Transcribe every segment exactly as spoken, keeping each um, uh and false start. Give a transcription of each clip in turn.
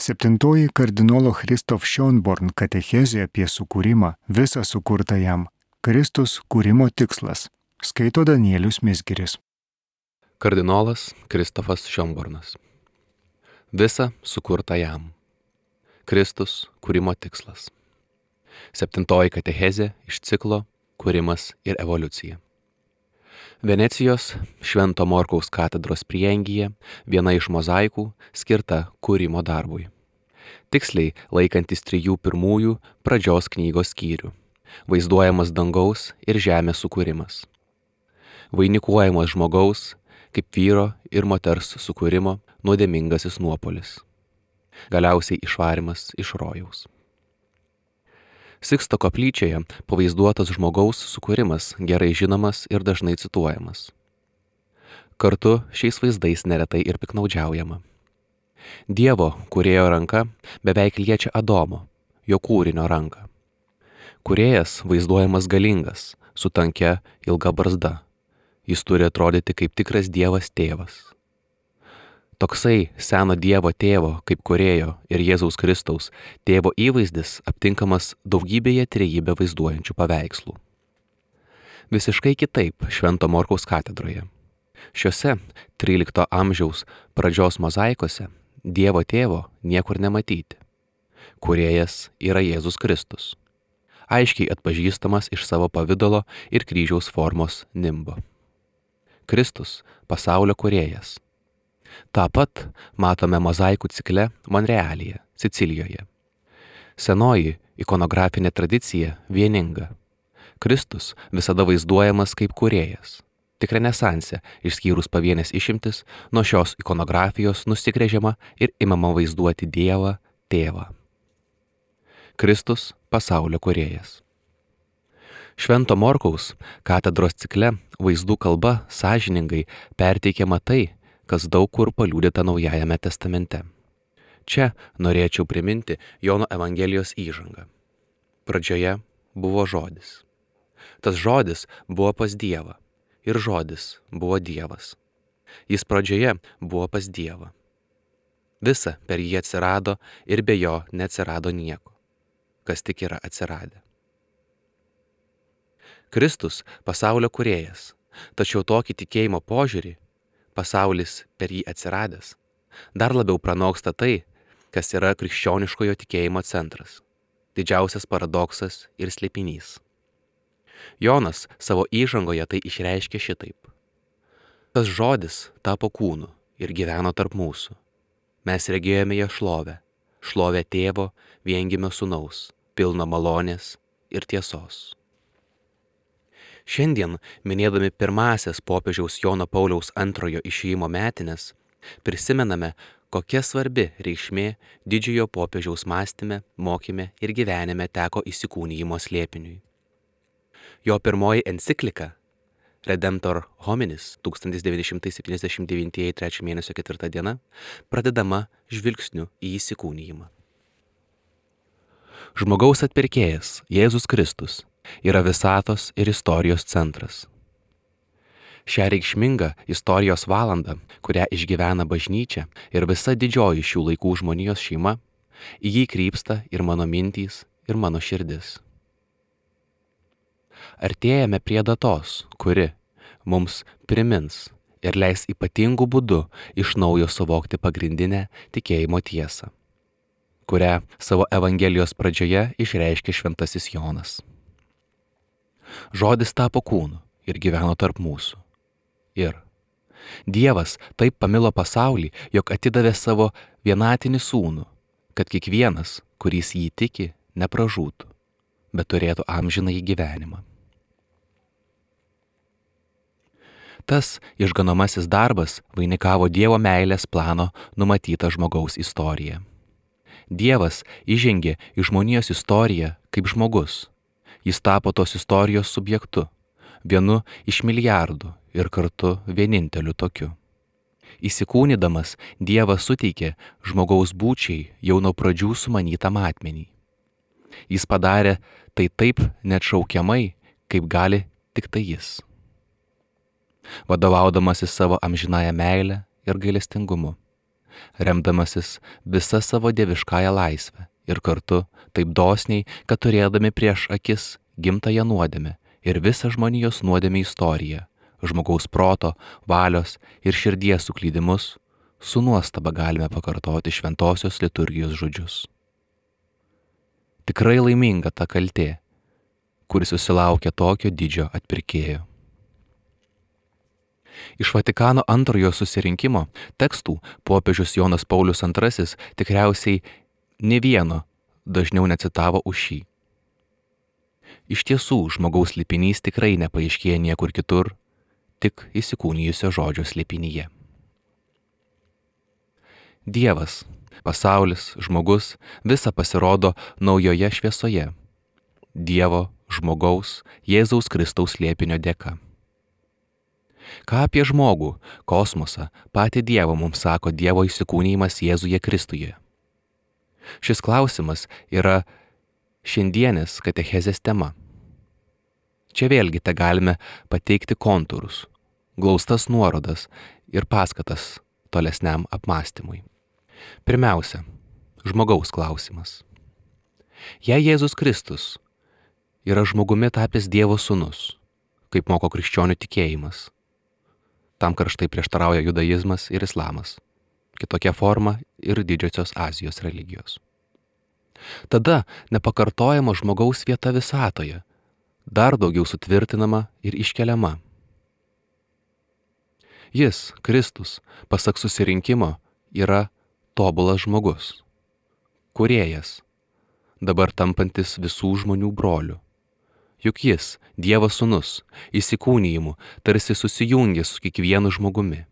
Septintoji kardinolo Christoph Schönborn katechezė apie sukūrimą, visą sukurtą jam. Kristus kūrimo tikslas. Skaito Danielius Mizgiris. Kardinolas Kristofas Schönbornas. Visa sukurta jam. Kristus kūrimo tikslas. Septintoji katechezė iš ciklo Kūrimas ir evoliucija. Venecijos Švento Morkaus katedros prieangyje viena iš mozaikų skirta kūrimo darbui. Tiksliai laikantis trijų pirmųjų pradžios knygos skyrių. Vaizduojamas dangaus ir žemės sukūrimas. Vainikuojamas žmogaus kaip vyro ir moters sukūrimo nuodėmingasis nuopolis. Galiausiai išvarimas iš rojaus. Siksto koplyčioje pavaizduotas žmogaus sukūrimas gerai žinomas ir dažnai cituojamas. Kartu šiais vaizdais neretai ir piknaudžiaujama. Dievo kūrėjo ranka beveik liečia Adomo, jo kūrinio ranką. Kūrėjas vaizduojamas galingas, su tankia ilga barzda. Jis turi atrodyti kaip tikras Dievas tėvas. Toksai seno Dievo tėvo kaip kūrėjo ir Jėzaus Kristaus tėvo įvaizdis aptinkamas daugybėje trejybę vaizduojančių paveikslų. Visiškai kitaip Švento Morkaus katedroje. Šiuose trylikto amžiaus pradžios mozaikose Dievo tėvo niekur nematyti. Kūrėjas yra Jėzus Kristus, aiškiai atpažįstamas iš savo pavidalo ir kryžiaus formos nimbo. Kristus pasaulio kūrėjas. Ta pat matome mozaikų cikle Monrealyje, Sicilijoje. Senoji ikonografinė tradicija vieninga. Kristus visada vaizduojamas kaip kūrėjas. Tik renesanse, išskyrus pavienės išimtis, nuo šios ikonografijos nusigręžiama ir imama vaizduoti Dievą tėvą. Kristus pasaulio kūrėjas. Švento Morkaus katedros cikle vaizdų kalba sąžiningai perteikiama tai, kas daug kur paliudyta Naujajame testamente. Čia norėčiau priminti Jono Evangelijos įžangą. Pradžioje buvo žodis. Tas žodis buvo pas Dievą ir žodis buvo Dievas. Jis pradžioje buvo pas Dievą. Visa per jį atsirado ir be jo neatsirado nieko, kas tik yra atsiradę. Kristus pasaulio kūrėjas, tačiau tokį tikėjimo požiūrį, pasaulis per jį atsiradęs, dar labiau pranoksta tai, kas yra krikščioniškojo tikėjimo centras, didžiausias paradoksas ir slėpinys. Jonas savo įžangoje tai išreiškė šitaip. Tas žodis tapo kūnu ir gyveno tarp mūsų. Mes regėjome jo šlovę, šlovę tėvo viengimio sūnaus, pilno malonės ir tiesos. Šiandien, minėdami pirmąsias popiežiaus Jono Pauliaus antrojo išėjimo metines, prisimename, kokia svarbi reikšmė didžiojo popiežiaus mąstyme, mokyme ir gyvenime teko įsikūnijimo slėpiniui. Jo pirmoji enciklika Redemptor Hominis tūkstantis devyni šimtai septyniasdešimt devyni trečio mėnesio ketvirta diena pradedama žvilgsniu į įsikūnijimą. Žmogaus atpirkėjas Jėzus Kristus yra visatos ir istorijos centras. Šią reikšmingą istorijos valandą, kurią išgyvena bažnyčia ir visa didžioji šių laikų žmonijos šeima, į jį krypsta ir mano mintys, ir mano širdis. Artėjame prie datos, kuri mums primins ir leis ypatingų būdų iš naujo suvokti pagrindinę tikėjimo tiesą, kurią savo Evangelijos pradžioje išreiškė šventasis Jonas. Žodis tapo kūnu ir gyveno tarp mūsų. Ir Dievas taip pamilo pasaulį, jog atidavė savo vienatinį sūnų, kad kiekvienas, kuris jį tiki, nepražūtų, bet turėtų amžinąjį gyvenimą. Tas išganomasis darbas vainikavo Dievo meilės plano numatytą žmogaus istoriją. Dievas įžengė į žmonijos istoriją kaip žmogus. Jis tapo tos istorijos subjektu, vienu iš milijardų ir kartu vieninteliu tokiu. Įsikūnydamas, Dievas suteikė žmogaus būčiai jau nuo pradžių sumanytą matmenį. Jis padarė tai taip neatšaukiamai, kaip gali tik tai jis. Vadovaudamasis savo amžinąją meilę ir gailestingumu, remdamasis visa savo dieviškąją laisvę ir kartu taip dosniai, kad turėdami prieš akis gimtąją nuodėmę ir visą žmonijos nuodėmę istoriją, žmogaus proto, valios ir širdies suklydimus, su nuostaba galime pakartoti šventosios liturgijos žodžius. Tikrai laiminga ta kaltė, kuris susilaukia tokio didžio atpirkėjo. Iš Vatikano antrojo susirinkimo tekstų popiežius Jonas Paulius antrasis tikriausiai ne vieno dažniau necitavo už šį. Iš tiesų, žmogaus slėpinys tikrai nepaaiškėja niekur kitur, tik įsikūnijusio žodžio slėpinyje. Dievas, pasaulis, žmogus visa pasirodo naujoje šviesoje. Dievo, žmogaus, Jėzaus Kristaus slėpinio dėka. Ką apie žmogų, kosmosą, patį Dievą mums sako Dievo įsikūnijimas Jėzuje Kristuje? Šis klausimas yra šiandienės katechezės tema. Čia vėlgi te galime pateikti kontūrus, glaustas nuorodas ir paskatas tolesniam apmąstymui. Pirmiausia, žmogaus klausimas. Jei Jėzus Kristus yra žmogumi tapęs Dievo sūnus, kaip moko krikščionių tikėjimas, tam karštai prieštarauja judaizmas ir islamas, kitokia forma ir didžiosios Azijos religijos. Tada nepakartojama žmogaus vieta visatoje, dar daugiau sutvirtinama ir iškeliama. Jis, Kristus, pasak susirinkimo, yra tobulas žmogus, kūrėjas, dabar tampantis visų žmonių broliu. Juk jis, Dievo sūnus, įsikūnijimu tarsi susijungė su kiekvienu žmogumi.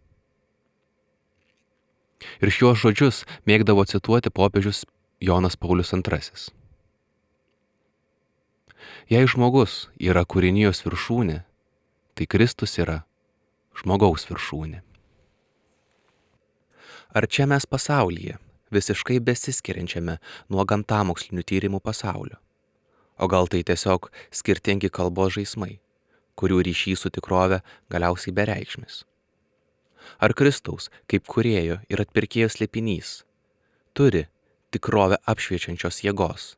Ir šiuos žodžius mėgdavo cituoti popiežius Jonas Paulius antrasis. Jei žmogus yra kūrinijos viršūnė, tai Kristus yra žmogaus viršūnė. Ar čia mes pasaulyje, visiškai besiskiriančiame nuo gamtamokslinių tyrimų pasaulio? O gal tai tiesiog skirtingi kalbos žaismai, kurių ryšys su tikrove galiausiai bereikšmis? Ar Kristaus, kaip kūrėjo ir atpirkėjo slėpinys, turi tikrovę apšviečiančios jėgos,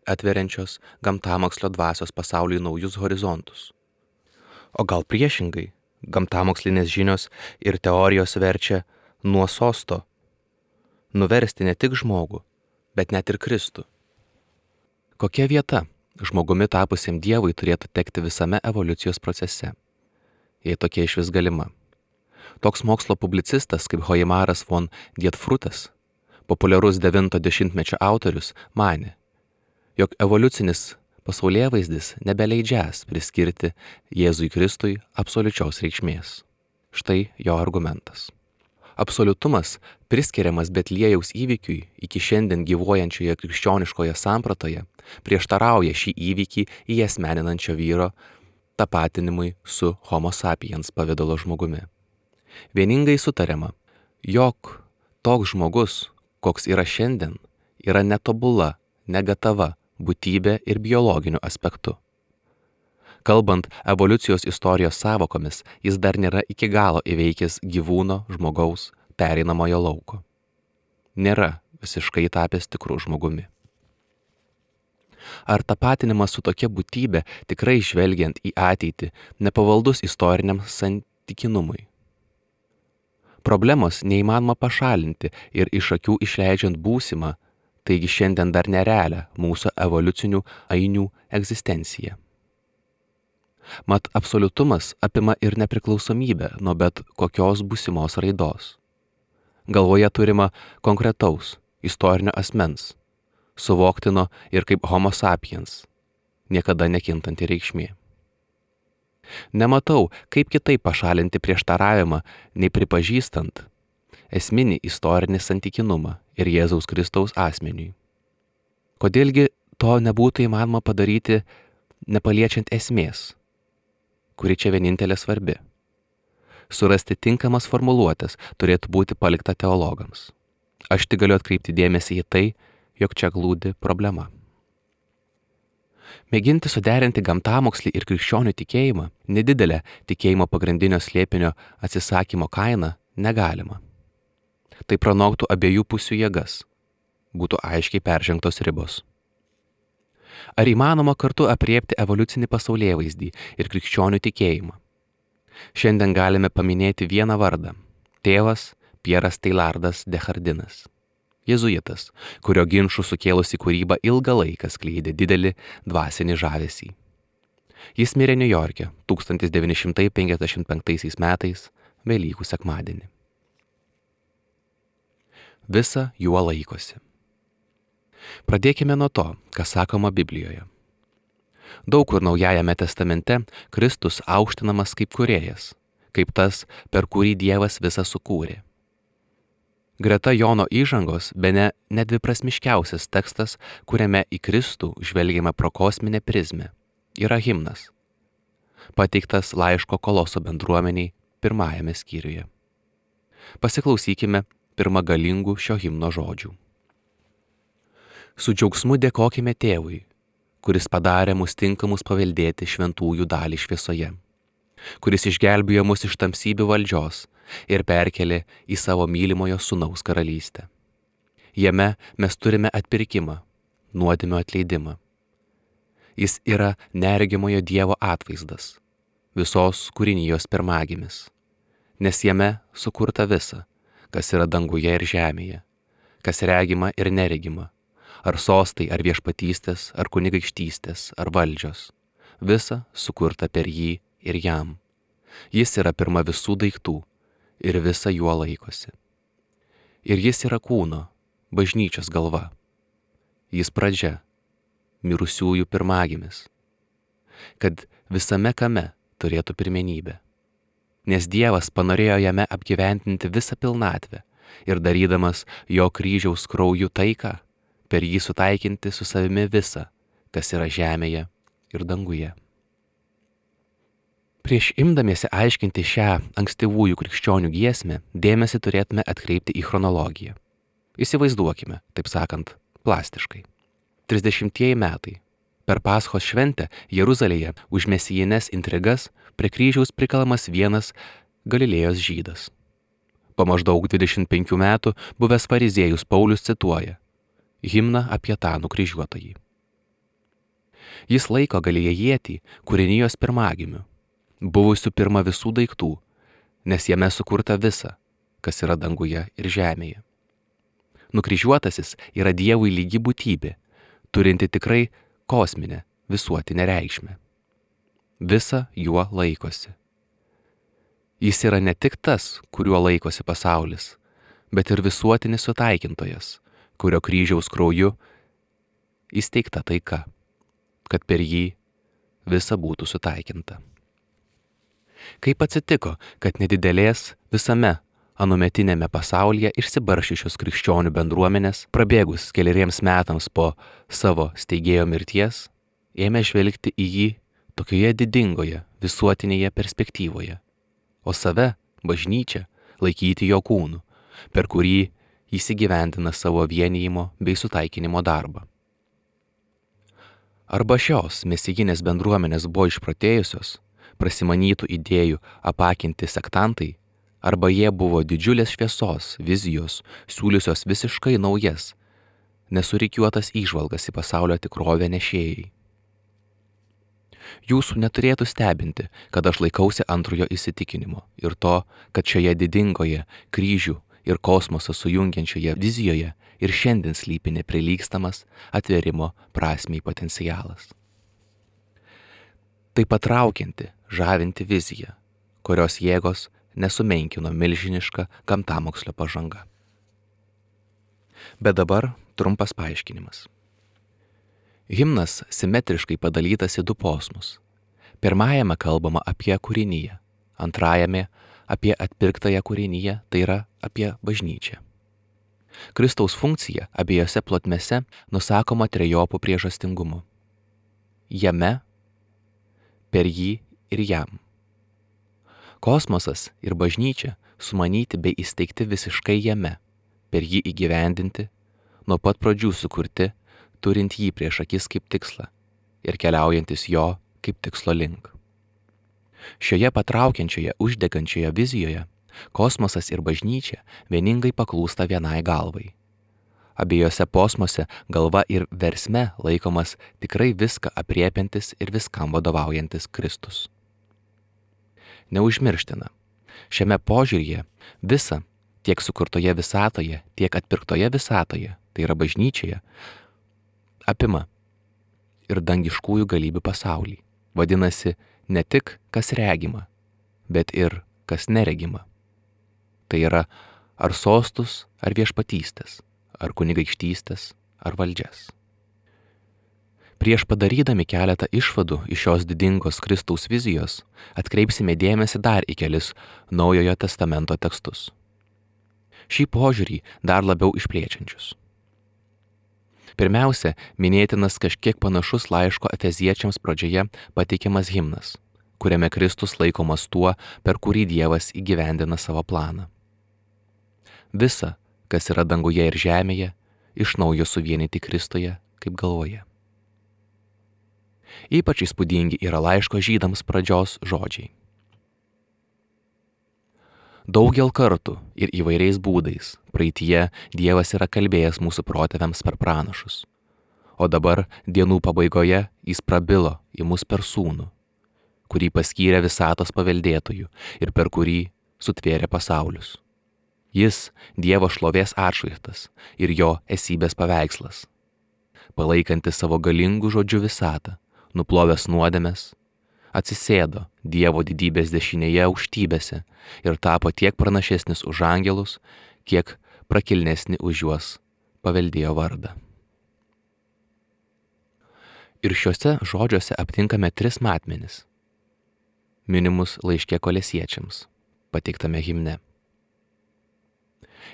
atveriančios gamtamokslio dvasios pasauliui naujus horizontus? O gal priešingai, gamtamokslinės žinios ir teorijos verčia nuo sosto nuversti ne tik žmogų, bet net ir Kristų? Kokia vieta žmogumi tapusiam Dievui turėtų tekti visame evoliucijos procese, jei tokia išvis galima? Toks mokslo publicistas kaip Hoimaras von Dietfrutas, populiarus devinto dešimtmečio autorius, manė, jog evoliucinis pasaulėvaizdis nebeleidžias priskirti Jėzui Kristui absoliučios reikšmės. Štai jo argumentas. Absoliutumas, priskiriamas Betliejaus įvykiui iki šiandien gyvuojančioje krikščioniškoje sampratoje, prieštarauja šį įvykį įasmeninančio vyro tapatinimui su Homo sapiens pavidalo žmogumi. Vieningai sutariama, jog toks žmogus, koks yra šiandien, yra netobula, negatava būtybė ir biologiniu aspektu. Kalbant evoliucijos istorijos sąvokomis, jis dar nėra iki galo įveikęs gyvūno, žmogaus, pereinamojo lauko. Nėra visiškai tapęs tikru žmogumi. Ar tapatinimas su tokia būtybė tikrai žvelgiant į ateitį nepavaldus istoriniam santykinumui? Problemos neįmanoma pašalinti ir iš akių išleidžiant būsimą, taigi šiandien dar nerealią mūsų evoliucinių ainių egzistenciją. Mat absoliutumas apima ir nepriklausomybę nuo bet kokios būsimos raidos. Galvoje turima konkretaus, istorinio asmens, suvoktino ir kaip Homo sapiens, niekada nekintanti reikšmė. Nematau, kaip kitaip pašalinti prieštaravimą, nei pripažįstant esminį istorinį santykinumą ir Jėzaus Kristaus asmeniui. Kodėlgi to nebūtų įmanoma padaryti nepaliečiant esmės, kuri čia vienintelė svarbi? Surasti tinkamas formuluotės turėtų būti palikta teologams. Aš tik galiu atkreipti dėmesį į tai, jog čia glūdi problema. Mėginti suderinti gamtamokslį ir krikščionių tikėjimą, nedidelę tikėjimo pagrindinio slėpinio atsisakymo kainą, negalima. Tai pranoktų abiejų pusių jėgas, būtų aiškiai peržengtos ribos. Ar įmanoma kartu apriepti evoliucinį pasaulėvaizdį ir krikščionių tikėjimą? Šiandien galime paminėti vieną vardą – tėvas Pieras Teilardas Dehardinas. Jėzuitas, kurio ginčų sukėlusi kūryba ilgą laiką skleidė didelį dvasinį žavesį. Jis mirė Niujorke tūkstantis devyni šimtai penkiasdešimt penktaisiais metais Velykų sekmadienį. Visa juo laikosi. Pradėkime nuo to, kas sakoma Biblijoje. Daug kur Naujajame testamente Kristus aukštinamas kaip kūrėjas, kaip tas, per kurį Dievas visą sukūrė. Greta Jono įžangos bene nedviprasmiškiausias tekstas, kuriame į Kristų žvelgiame pro kosminę prizmę, yra himnas, pateiktas laiško Koloso bendruomeniai pirmajame skyriuje. Pasiklausykime pirmą galingų šio himno žodžių. Su džiaugsmu dėkokime Tėvui, kuris padarė mus tinkamus paveldėti šventųjų dalį šviesoje, kuris išgelbėjo mus iš tamsybių valdžios ir perkelė į savo mylimojo sūnaus karalystę. Jame mes turime atpirkimą, nuodėmių atleidimą. Jis yra neregimojo Dievo atvaizdas, visos kūrinijos pirmagimis, nes jame sukurta visa, kas yra danguje ir žemėje, kas regima ir neregima, ar sostai, ar viešpatystės, ar kunigaikštystės, ar valdžios, visa sukurta per jį ir jam. Jis yra pirma visų daiktų ir visa juo laikosi. Ir jis yra kūno, bažnyčios galva. Jis pradžia, mirusiųjų pirmagimis, kad visame kame turėtų pirmenybę. Nes Dievas panorėjo jame apgyventinti visą pilnatvę ir darydamas jo kryžiaus krauju taiką, per jį sutaikinti su savimi visą, kas yra žemėje ir danguje. Prieš imdamiesi aiškinti šią ankstyvųjų krikščionių giesmę, dėmesį turėtume atkreipti į chronologiją. Įsivaizduokime, taip sakant, plastiškai. trisdešimtieji metai. Per Paschos šventę Jeruzalėje už mesijines intrigas prie kryžiaus prikalamas vienas Galilėjos žydas. Po maždaug dvidešimt penkių metų buvęs fariziejus Paulius cituoja himną apie tą nukryžiuotąjį. Jis laiko Galilėjietį kūrinijos pirmagimiu, buvusių pirma visų daiktų, nes jame sukurta visa, kas yra danguje ir žemėje. Nukryžiuotasis yra Dievui lygi būtybė, turinti tikrai kosminę visuotinę reikšmę. Visa juo laikosi. Jis yra ne tik tas, kuriuo laikosi pasaulis, bet ir visuotinis sutaikintojas, kurio kryžiaus krauju įsteigta taika, kad per jį visa būtų sutaikinta. Kaip atsitiko, kad nedidelės visame anuometinėme pasaulyje išsibaršiusios krikščionių bendruomenės, prabėgus keleriems metams po savo steigėjo mirties, ėmė žvelgti į jį tokioje didingoje visuotinėje perspektyvoje, o save, bažnyčią, laikyti jo kūnu, per kurį jis įgyvendina savo vienijimo bei sutaikinimo darbą. Arba šios mesijinės bendruomenės buvo išprotėjusios, prasimanytų idėjų apakinti sektantai, arba jie buvo didžiulės šviesos, vizijos, siūliusios visiškai naujas, nesurikiuotas įžvalgas į pasaulio tikrovę nešėjai. Jūsų neturėtų stebinti, kad aš laikausi antrojo įsitikinimo ir to, kad šioje didingoje kryžių ir kosmosą sujungiančioje vizijoje ir šiandien slypi neprilygstamas atverimo prasmei potencialas. Tai patraukianti, žavinti vizija, kurios jėgos nesumenkino milžiniška gamtamokslio pažanga. Bet dabar trumpas paaiškinimas. Himnas simetriškai padalytas į du posmus. Pirmajame kalbama apie kūriniją, antrajame apie atpirktąją kūriniją, tai yra apie bažnyčią. Kristaus funkcija abiejose plotmėse nusakoma trejopų priežastingumu. Jame, per jį ir jam. Kosmosas ir bažnyčia sumanyti bei įsteigti visiškai jame, per jį įgyvendinti, nuo pat pradžių sukurti, turint jį prieš akis kaip tikslą ir keliaujantis jo kaip tikslo link. Šioje patraukiančioje, uždegančioje vizijoje Kosmosas ir bažnyčia vieningai paklūsta vienai galvai. Abiejose posmuose galva ir versme laikomas tikrai viską apriepiantis ir viskam vadovaujantis Kristus. Neužmirština, šiame požiūryje visa, tiek sukurtoje visatoje, tiek atpirktoje visatoje, tai yra bažnyčioje, apima ir dangiškųjų galybių pasaulį. Vadinasi, ne tik kas regima, bet ir kas neregima. Tai yra ar sostus, ar viešpatystės, ar kunigaikštystės, ar valdžias. Prieš padarydami keletą išvadų iš šios didingos Kristaus vizijos, atkreipsime dėmesį dar į kelis Naujojo testamento tekstus. Šį požiūrį dar labiau išplėčiančius. Pirmiausia, minėtinas kažkiek panašus laiško Efeziečiams pradžioje pateikiamas himnas, kuriame Kristus laikomas tuo, per kurį Dievas įgyvendina savo planą. Visa, kas yra danguje ir žemėje, iš naujo suvienyti Kristuje kaip galvoje. Ypač įspūdingi yra laiško žydams pradžios žodžiai. Daugel kartų ir įvairiais būdais praeityje Dievas yra kalbėjęs mūsų protėviams per pranašus, o dabar dienų pabaigoje jis prabilo į mus per sūnų, kurį paskyrė visatos paveldėtojų ir per kurį sutvėrė pasaulius. Jis Dievo šlovės atšvaizdas ir jo esybės paveikslas, palaikantis savo galingų žodžių visatą, nuplovęs nuodėmes, atsisėdo Dievo didybės dešinėje aukštybėse ir tapo tiek pranašesnis už angelus, kiek prakilnesni už juos paveldėjo vardą. Ir šiuose žodžiuose aptinkame tris matmenis, minimus laiške Kolesiečiams, pateiktame himne.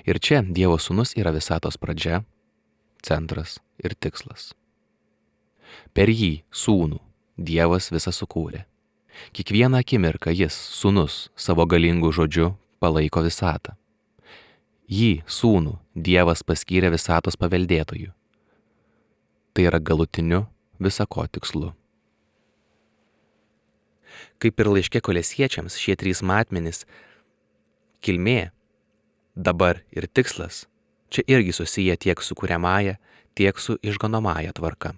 Ir čia Dievo sūnus yra visatos pradžia, centras ir tikslas. Per jį, sūnų, Dievas visą sukūrė. Kiekvieną akimirką jis, sūnus, savo galingų žodžiu palaiko visatą. Jį, sūnų, Dievas paskyrė visatos paveldėtojų. Tai yra galutiniu visako tikslu. Kaip ir laiške Kolesiečiams, šie trys matmenys – kilmė, dabar ir tikslas – čia irgi susiję tiek su kuriamąja, tiek su išganomąja tvarka.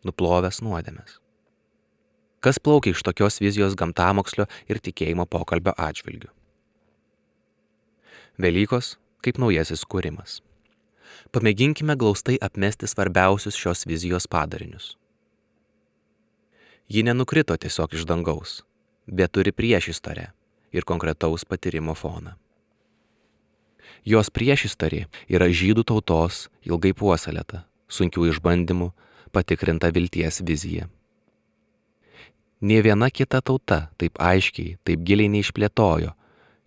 Nuplovęs nuodėmes. Kas plaukia iš tokios vizijos gamtamokslio ir tikėjimo pokalbio atžvilgių? Velykos kaip naujasis kūrimas. Pamėginkime glaustai apmesti svarbiausius šios vizijos padarinius. Ji nenukrito tiesiog iš dangaus, bet turi priešistorę ir konkretaus patyrimo foną. Jos priešistorė yra žydų tautos ilgai puoselėta, sunkių išbandymų, patikrinta vilties vizija. Nė viena kita tauta taip aiškiai, taip giliai neišplėtojo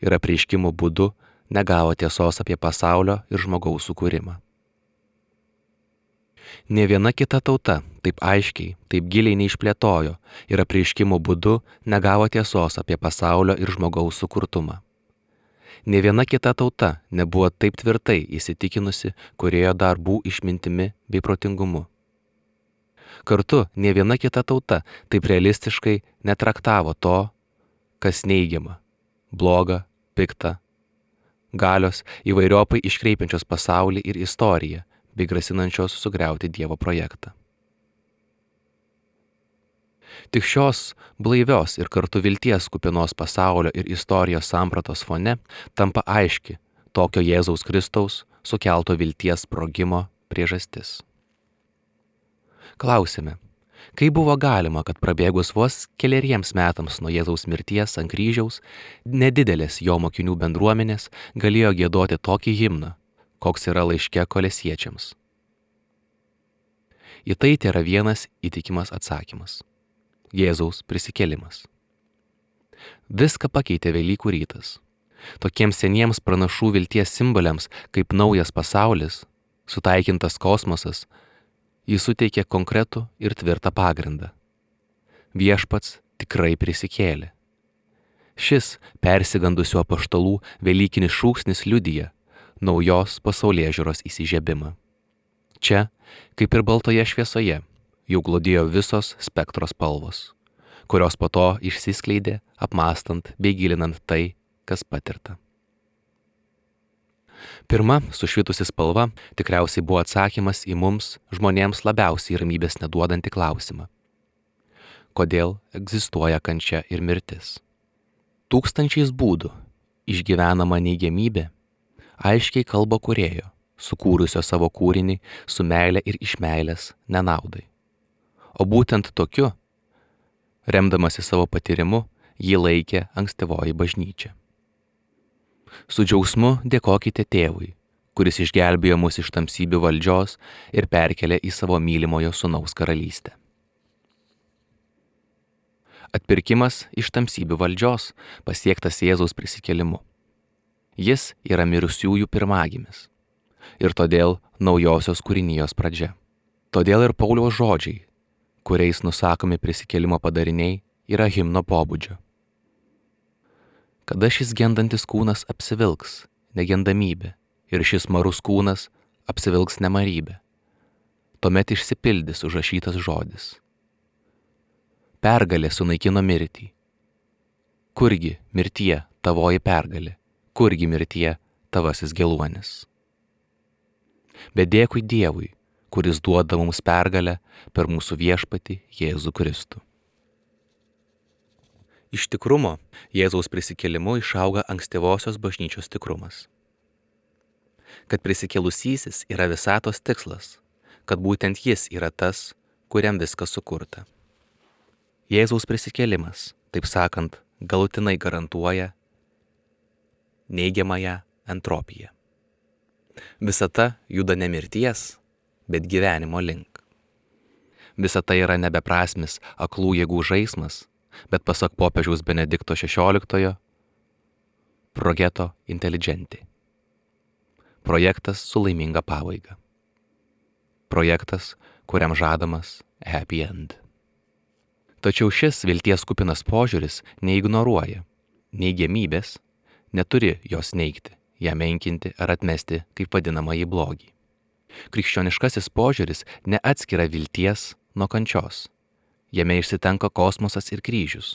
ir apreiškimo būdu negavo tiesos apie pasaulio ir žmogaus sukūrimą. Nė viena kita tauta taip aiškiai, taip giliai neišplėtojo ir apreiškimo būdu negavo tiesos apie pasaulio ir žmogaus sukurtumą. Nė viena kita tauta nebuvo taip tvirtai įsitikinusi kūrėjo darbų išmintimi bei protingumu. Kartu nė viena kita tauta taip realistiškai netraktavo to, kas neigiama, bloga, pikta, galios įvairiopai iškreipiančios pasaulį ir istoriją bei grasinančios sugriauti Dievo projektą. Tik šios blaivios ir kartu vilties kupinos pasaulio ir istorijos sampratos fone tampa aiški tokio Jėzaus Kristaus sukelto vilties sprogimo priežastis. Klausime, kaip buvo galima, kad prabėgus vos keleriems metams nuo Jėzaus mirties ant kryžiaus, nedidelės jo mokinių bendruomenės galėjo giedoti tokį himną, koks yra laiške Kolesiečiams. Į tai tėra vienas įtikimas atsakymas. Jėzaus prisikėlimas. Viską pakeitė Velykų rytas. Tokiems seniems pranašų vilties simboliams kaip naujas pasaulis, sutaikintas kosmosas, jis suteikė konkretų ir tvirtą pagrindą. Viešpats tikrai prisikėlė. Šis persigandusių apaštalų velykinis šūksnis liudija naujos pasaulėžiūros įsižiebimą. Čia, kaip ir baltoje šviesoje, jau glodėjo visos spektro spalvos, kurios po to išsiskleidė apmąstant bei gilinant tai, kas patirta. Pirma sušvitusi spalva tikriausiai buvo atsakymas į mums, žmonėms labiausiai ramybės neduodantį klausimą. Kodėl egzistuoja kančia ir mirtis? Tūkstančiais būdų išgyvenama neigiamybė aiškiai kalba kūrėjo, sukūrusio savo kūrinį su meile ir iš meilės nenaudai. O būtent tokiu, remdamasi savo patyrimu, jį laikė ankstyvoji bažnyčia. Su džiaugsmu dėkokite tėvui, kuris išgelbėjo mus iš tamsybių valdžios ir perkelė į savo mylimojo sūnaus karalystę. Atpirkimas iš tamsybių valdžios pasiektas Jėzaus prisikėlimu. Jis yra mirusiųjų pirmagimis ir todėl naujosios kūrinijos pradžia. Todėl ir Pauliaus žodžiai, kuriais nusakomi prisikėlimo padariniai, yra himno pobūdžio. Kada šis gendantis kūnas apsivilks negendamybė ir šis marus kūnas apsivilks nemarybė, tuomet išsipildys užrašytas žodis. Pergalė sunaikino mirtį. Kurgi mirtie tavoji pergalė, kurgi mirtie tavasis geluonis. Bet dėkui Dievui, kuris duoda mums pergalę per mūsų viešpatį Jėzų Kristų. Iš tikrumo Jėzaus prisikėlimu išauga ankstyvosios bažnyčios tikrumas. Kad prisikėlusysis yra visatos tikslas, kad būtent jis yra tas, kuriam viskas sukurta. Jėzaus prisikėlimas, taip sakant, galutinai garantuoja neigiamąją entropiją. Visata juda ne mirties, bet gyvenimo link. Visata yra nebeprasmis aklų jėgų žaismas, bet pasak popiežiaus Benedikto šešioliktojo, progetto intelligenti. Projektas su laiminga pabaiga. Projektas, kuriam žadamas happy end. Tačiau šis vilties kupinas požiūris neignoruoja neigiamybės, neturi jos neigti, ją menkinti ar atmesti kaip vadinamąjį blogį. Krikščioniškasis požiūris neatskiria vilties nuo kančios. Jame išsitenka kosmosas ir kryžius.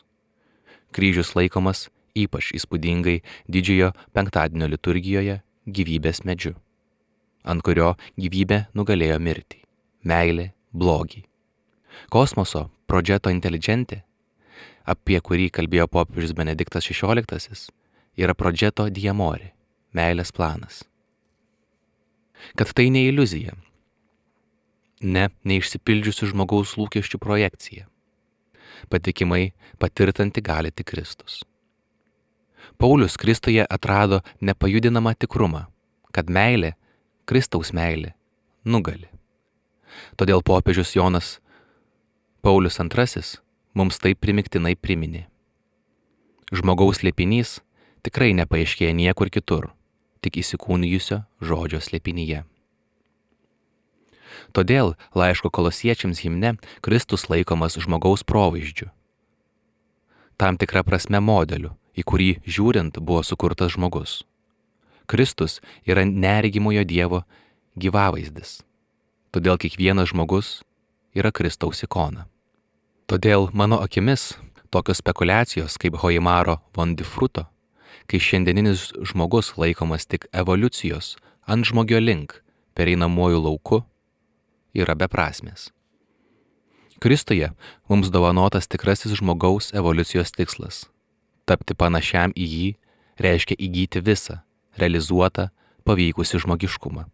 Kryžius laikomas ypač įspūdingai didžiojo penktadienio liturgijoje gyvybės medžiu, ant kurio gyvybė nugalėjo mirtį, meilė, blogį. Kosmoso progetto intelligenti, apie kurį kalbėjo popiežius Benediktas šešioliktasis, yra progetto di amore, meilės planas. Kad tai ne iliuzija, ne neišsipildžiusių žmogaus lūkesčių projekcija. Patikimai patirtanti gali tik Kristus. Paulius Kristuje atrado nepajudinamą tikrumą, kad meilė, Kristaus meilė, nugali. Todėl popiežius Jonas Paulius antrasis mums taip primiktinai priminė. Žmogaus slėpinys tikrai nepaaiškėja niekur kitur, tik įsikūnijusio žodžio slėpinyje. Todėl laiško Kolosiečiams himne Kristus laikomas žmogaus provaizdžiu. Tam tikra prasme modeliu, į kurį žiūrint buvo sukurtas žmogus. Kristus yra neregimojo Dievo gyvavaizdis. Todėl kiekvienas žmogus yra Kristaus ikona. Todėl mano akimis tokios spekulacijos kaip Hoimaro von Difruto, kai šiandieninis žmogus laikomas tik evoliucijos ant žmogio link pereinamuoju lauku, yra beprasmės. Kristuje mums dovanotas tikrasis žmogaus evoliucijos tikslas. Tapti panašiam į jį reiškia įgyti visą, realizuotą, pavykusį žmogiškumą.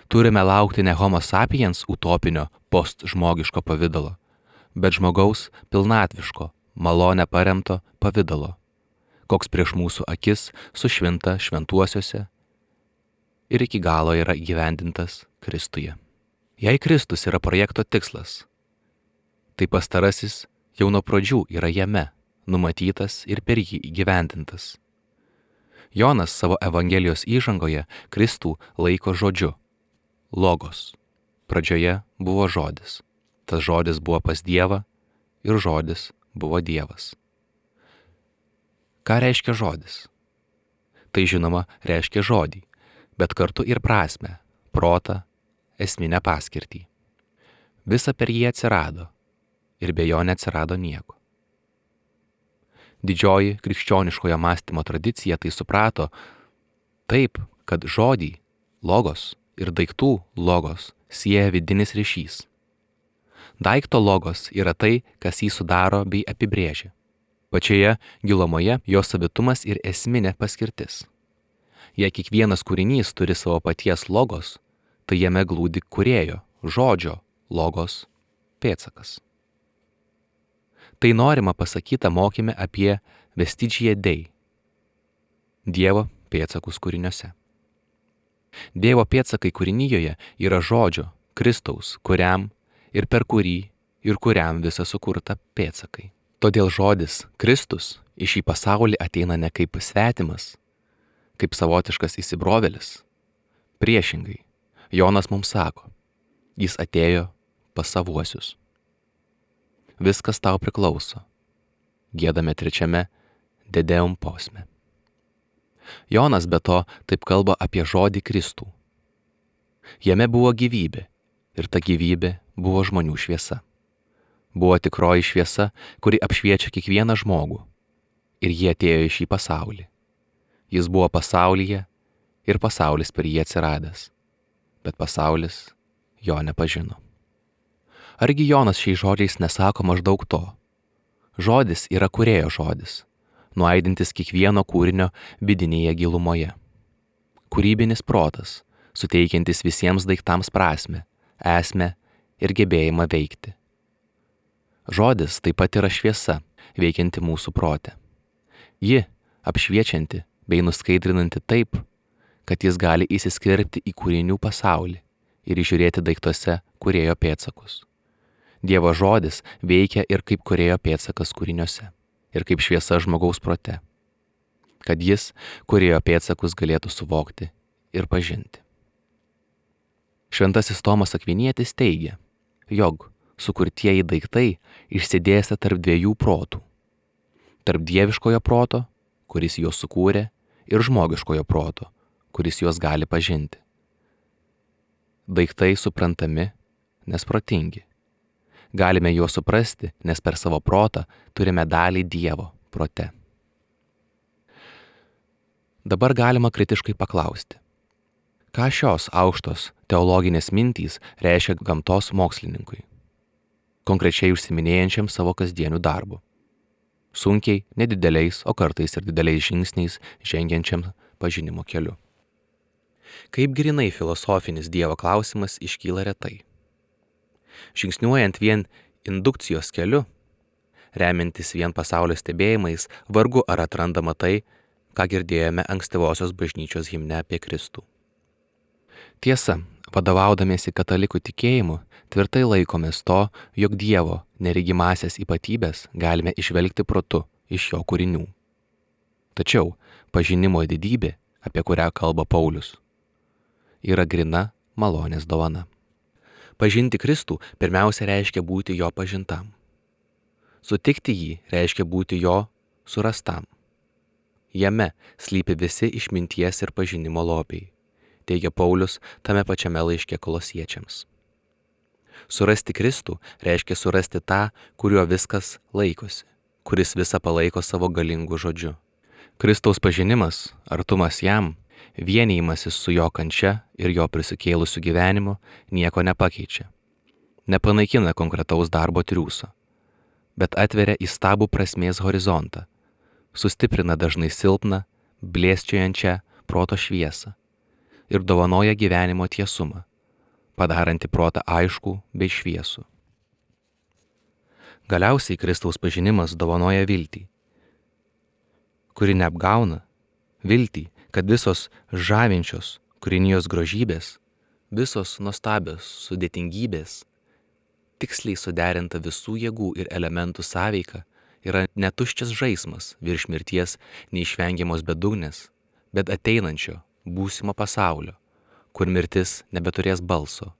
Turime laukti ne homo sapiens utopinio postžmogiško pavidalo, bet žmogaus pilnatviško, malone paremto pavidalo, koks prieš mūsų akis sušvinta šventuosiuose ir iki galo yra įgyvendintas Kristuje. Jei Kristus yra projekto tikslas, tai pastarasis jau nuo pradžių yra jame, numatytas ir per jį įgyvendintas. Jonas savo Evangelijos įžangoje Kristų laiko žodžiu – logos. Pradžioje buvo žodis. Tas žodis buvo pas Dievą ir žodis buvo Dievas. Ką reiškia žodis? Tai žinoma reiškia žodį, bet kartu ir prasmę, protą, esminę paskirtį. Visa per jį atsirado ir be jo neatsirado nieko. Didžioji krikščioniškojo mąstymo tradicija tai suprato taip, kad žodį, logos ir daiktų logos sieja vidinis ryšys. Daikto logos yra tai, kas jį sudaro bei apibrėžia. Pačioje gilumoje jo savitumas ir esminė paskirtis. Jei kiekvienas kūrinys turi savo paties logos, tai jame glūdi kūrėjo, žodžio, logos, pėdsakas. Tai norima pasakyta mokyme apie vestigia Dei, Dievo pėdsakus kūriniuose. Dievo pėdsakai kūrinyjoje yra žodžio, Kristaus, kuriam ir per kurį ir kuriam visa sukurta pėdsakai. Todėl žodis Kristus į šį pasaulį ateina ne kaip svetimas, kaip savotiškas įsibrovėlis. Priešingai, Jonas mums sako, jis atėjo pas savuosius. Viskas tau priklauso. Giedame trečiame Dedeum posme. Jonas be to taip kalba apie žodį Kristų. Jame buvo gyvybė ir ta gyvybė buvo žmonių šviesa. Buvo tikroji šviesa, kuri apšviečia kiekvieną žmogų. Ir jie atėjo į šį pasaulį. Jis buvo pasaulyje ir pasaulis per jį atsiradęs. Bet pasaulis jo nepažino. Argi Jonas šiais žodžiais nesako maždaug to? Žodis yra kūrėjo žodis, nuaidintis kiekvieno kūrinio vidinėje gilumoje. Kūrybinis protas, suteikiantis visiems daiktams prasmę, esmę ir gebėjimą veikti. Žodis taip pat yra šviesa, veikianti mūsų prote. Ji apšviečianti bei nuskaidrinanti taip, kad jis gali įsiskverbti į kūrinių pasaulį ir įžiūrėti daiktuose kūrėjo pėdsakus. Dievo žodis veikia ir kaip kūrėjo pėdsakas kūriniuose, ir kaip šviesa žmogaus prote, kad jis kūrėjo pėdsakus galėtų suvokti ir pažinti. Šventasis Tomas Akvinietis teigia, jog sukurtieji daiktai išsidėstę tarp dviejų protų. Tarp dieviškojo proto, kuris juos sukūrė, ir žmogiškojo proto, kuris juos gali pažinti. Daiktai suprantami, nes protingi. Galime juos suprasti, nes per savo protą turime dalį Dievo prote. Dabar galima kritiškai paklausti, ką šios aukštos teologinės mintys reiškia gamtos mokslininkui, konkrečiai užsiminėjančiam savo kasdienių darbų, sunkiai, nedideliais, o kartais ir dideliais žingsniais žengiančiam pažinimo keliu. Kaip grinai filosofinis Dievo klausimas iškyla retai. Žingsniuojant vien indukcijos keliu, remiantis vien pasaulio stebėjimais, vargu ar atrandama tai, ką girdėjome ankstyvosios bažnyčios himne apie Kristų. Tiesa, vadovaudamiesi katalikų tikėjimu, tvirtai laikomės to, jog Dievo neregimąsias ypatybės galime išvelgti protu iš jo kūrinių. Tačiau pažinimo didybė, apie kurią kalba Paulius, yra grina malonės dovana. Pažinti Kristų pirmiausia reiškia būti jo pažintam. Sutikti jį reiškia būti jo surastam. Jame slypi visi išminties ir pažinimo lobiai, teigia Paulius tame pačiame laiške Kolosiečiams. Surasti Kristų reiškia surasti tą, kuriuo viskas laikosi, kuris visą palaiko savo galingu žodžiu. Kristaus pažinimas, artumas jam, vienijimasis su jo kančia ir jo prisikėlusiu gyvenimu nieko nepakeičia. Nepanaikina konkretaus darbo triūso, bet atveria įstabų prasmės horizontą, sustiprina dažnai silpną, blėsčiojančią proto šviesą ir dovanoja gyvenimo tiesumą, padaranti protą aiškų bei šviesų. Galiausiai Kristaus pažinimas dovanoja viltį, kuri neapgauna, viltį, kad visos žavinčios kūrinijos grožybės, visos nuostabios sudėtingybės, tiksliai suderinta visų jėgų ir elementų sąveika yra netuščias žaismas virš mirties neišvengiamos bedugnės, bet ateinančio būsimo pasaulio, kur mirtis nebeturės balso,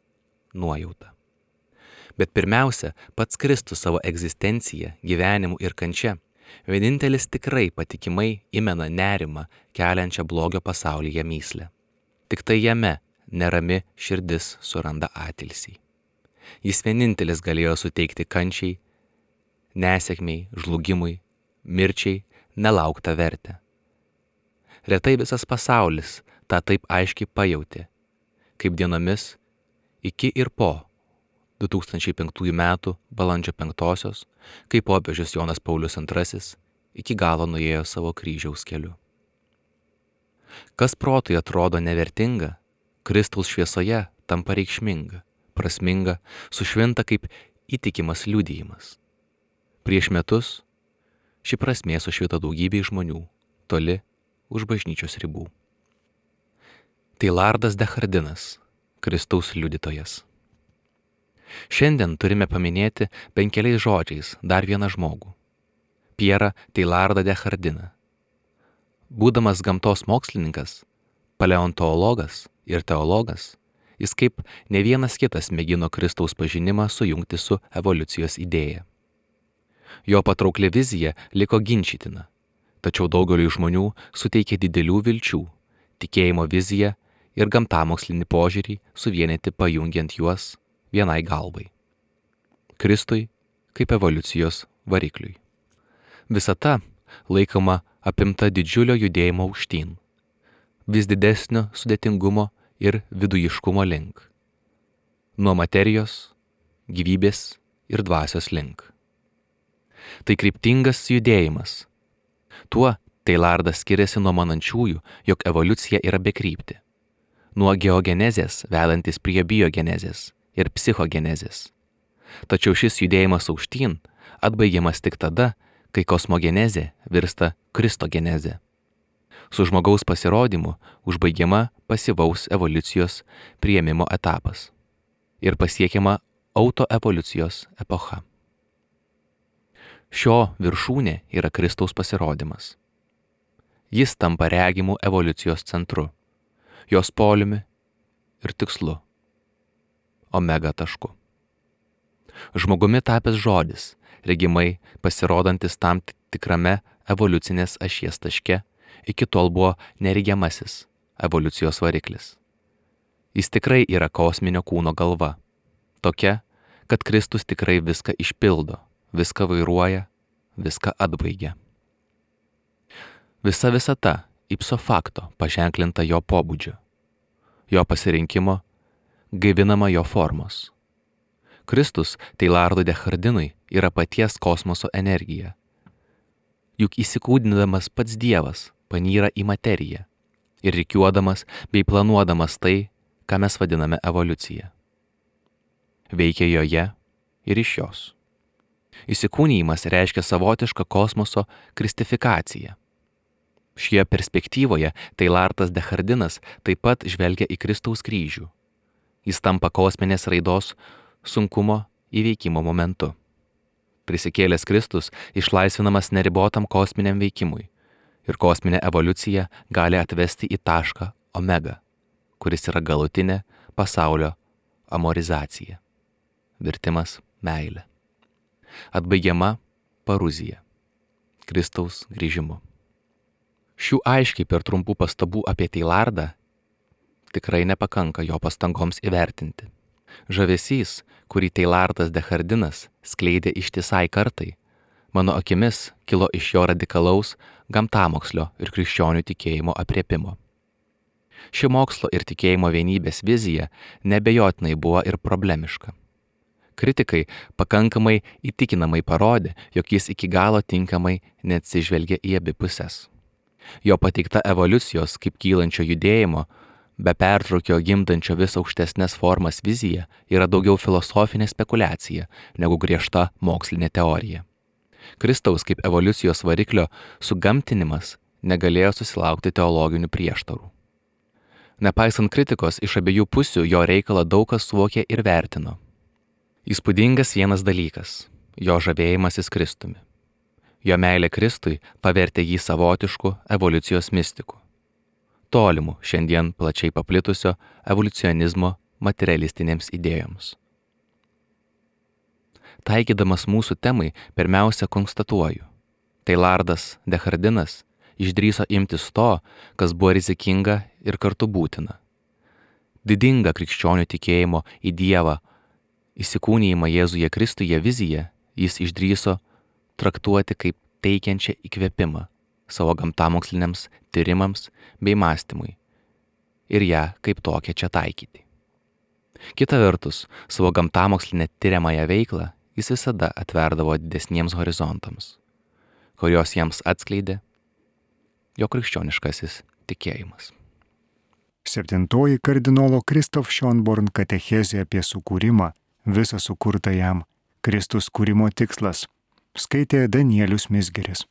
nuojauta. Bet pirmiausia, pats Kristus savo egzistenciją, gyvenimu ir kančia, vienintelis tikrai patikimai įmena nerimą keliančią blogio pasaulyje myslę. Tik tai jame nerami širdis suranda atilsį. Jis vienintelis galėjo suteikti kančiai, nesėkmiai, žlugimui, mirčiai nelauktą vertę. Retai visas pasaulis tą taip aiškiai pajautė, kaip dienomis iki ir po du tūkstančiai penktųjų metų balandžio penktosios, kai popiežius Jonas Paulius antrasis iki galo nuėjo savo kryžiaus keliu. Kas protui atrodo nevertinga, Kristaus šviesoje tampa reikšminga, prasminga, sušvinta kaip įtikimas liudijimas. Prieš metus ši prasmė sušvito daugybei žmonių, toli už bažnyčios ribų. Teilardas Dehardinas, Kristaus liudytojas. Šiandien turime paminėti bent keliais žodžiais dar vieną žmogų – Pierą Teilardą Dehardiną. Būdamas gamtos mokslininkas, paleontologas ir teologas, jis kaip ne vienas kitas mėgino Kristaus pažinimą sujungti su evoliucijos idėja. Jo patraukli vizija liko ginčytina, tačiau daugeliui žmonių suteikė didelių vilčių, tikėjimo viziją ir gamtamokslinį požiūrį suvienyti pajungiant juos vienai galvai. Kristui kaip evoliucijos varikliui. Visata laikoma apimta didžiulio judėjimo aukštyn, vis didesnio sudėtingumo ir vidujiškumo link, nuo materijos, gyvybės ir dvasios link. Tai kryptingas judėjimas. Tuo Teilardas skiriasi nuo manančiųjų, jog evoliucija yra bekrypti, nuo geogenezės vedantis prie biogenezės ir psichogenezės. Tačiau šis judėjimas aukštyn atbaigiamas tik tada, kai kosmogenezė virsta kristogenezė. Su žmogaus pasirodymu užbaigiama pasyvaus evoliucijos priėmimo etapas ir pasiekiama autoevoliucijos epocha. Šio viršūnė yra Kristaus pasirodymas. Jis tampa regimų evoliucijos centru, jos poliumi ir tikslu, omega tašku. Žmogumi tapęs žodis, regimai pasirodantis tam tikrame evoliucinės ašies taške, iki tol buvo neregiamasis evoliucijos variklis. Jis tikrai yra kosminio kūno galva, tokia, kad Kristus tikrai viską išpildo, viską vairuoja, viską atbaigia. Visa visata ipso facto paženklinta jo pobūdžiu, jo pasirinkimo, gaivinama jo formos. Kristus Teilardui Dehardinui yra paties kosmoso energija. Juk įsikūdindamas pats Dievas panyra į materiją ir rikiuodamas bei planuodamas tai, ką mes vadiname evoliucija. Veikia joje ir iš jos. Įsikūnijimas reiškia savotišką kosmoso kristifikaciją. Šioje perspektyvoje Teilardas Dehardinas taip pat žvelgia į Kristaus kryžių. Jis tampa kosminės raidos sunkumo įveikimo momentu. Prisikėlęs Kristus išlaisvinamas neribotam kosminiam veikimui ir kosminė evoliucija gali atvesti į tašką omega, kuris yra galutinė pasaulio amorizacija, virtimas meilė. Atbaigiama paruzija, Kristaus grįžimu. Šių aiškiai per trumpų pastabų apie Teilardą tikrai nepakanka jo pastangoms įvertinti. Žavesys, kurį Teilardas Dehardinas skleidė ištisai kartai, mano akimis kilo iš jo radikalaus gamtamokslio ir krikščionių tikėjimo aprėpimo. Ši mokslo ir tikėjimo vienybės vizija nebejotinai buvo ir problemiška. Kritikai pakankamai įtikinamai parodė, jog jis iki galo tinkamai neatsižvelgia į abi puses. Jo pateikta evoliucijos kaip kylančio judėjimo, be pertraukio gimdančio vis aukštesnės formas vizija yra daugiau filosofinė spekulacija negu griežta mokslinė teorija. Kristaus kaip evoliucijos variklio sugamtinimas negalėjo susilaukti teologinių prieštarų. Nepaisant kritikos iš abiejų pusių, jo reikalą daug kas suvokė ir vertino. Įspūdingas vienas dalykas – jo žavėjimasis Kristumi. Jo meilė Kristui pavertė jį savotišku evoliucijos mistiku, tolimu šiandien plačiai paplitusio evoliucionizmo materialistinėms idėjoms. Taikydamas mūsų temai, pirmiausia konstatuoju, Teilardas Dehardinas išdrįso imtis to, kas buvo rizikinga ir kartu būtina. Didinga krikščionių tikėjimo į Dievą, įsikūnijimą Jėzuje Kristuje viziją jis išdrįso traktuoti kaip teikiančią įkvėpimą, savo gamtamoksliniams tyrimams bei mąstymui ir ją kaip tokią čia taikyti. Kita vertus, savo gamtamokslinę tyriamąją veiklą jis visada atverdavo didesniems horizontams, kurios jiems atskleidė jo krikščioniškasis tikėjimas. Septintoji kardinolo Kristof Schönborn katechezė apie sukūrimą, visą sukurtą jam, Kristus kūrimo tikslas, skaitė Danielius Mizgiris.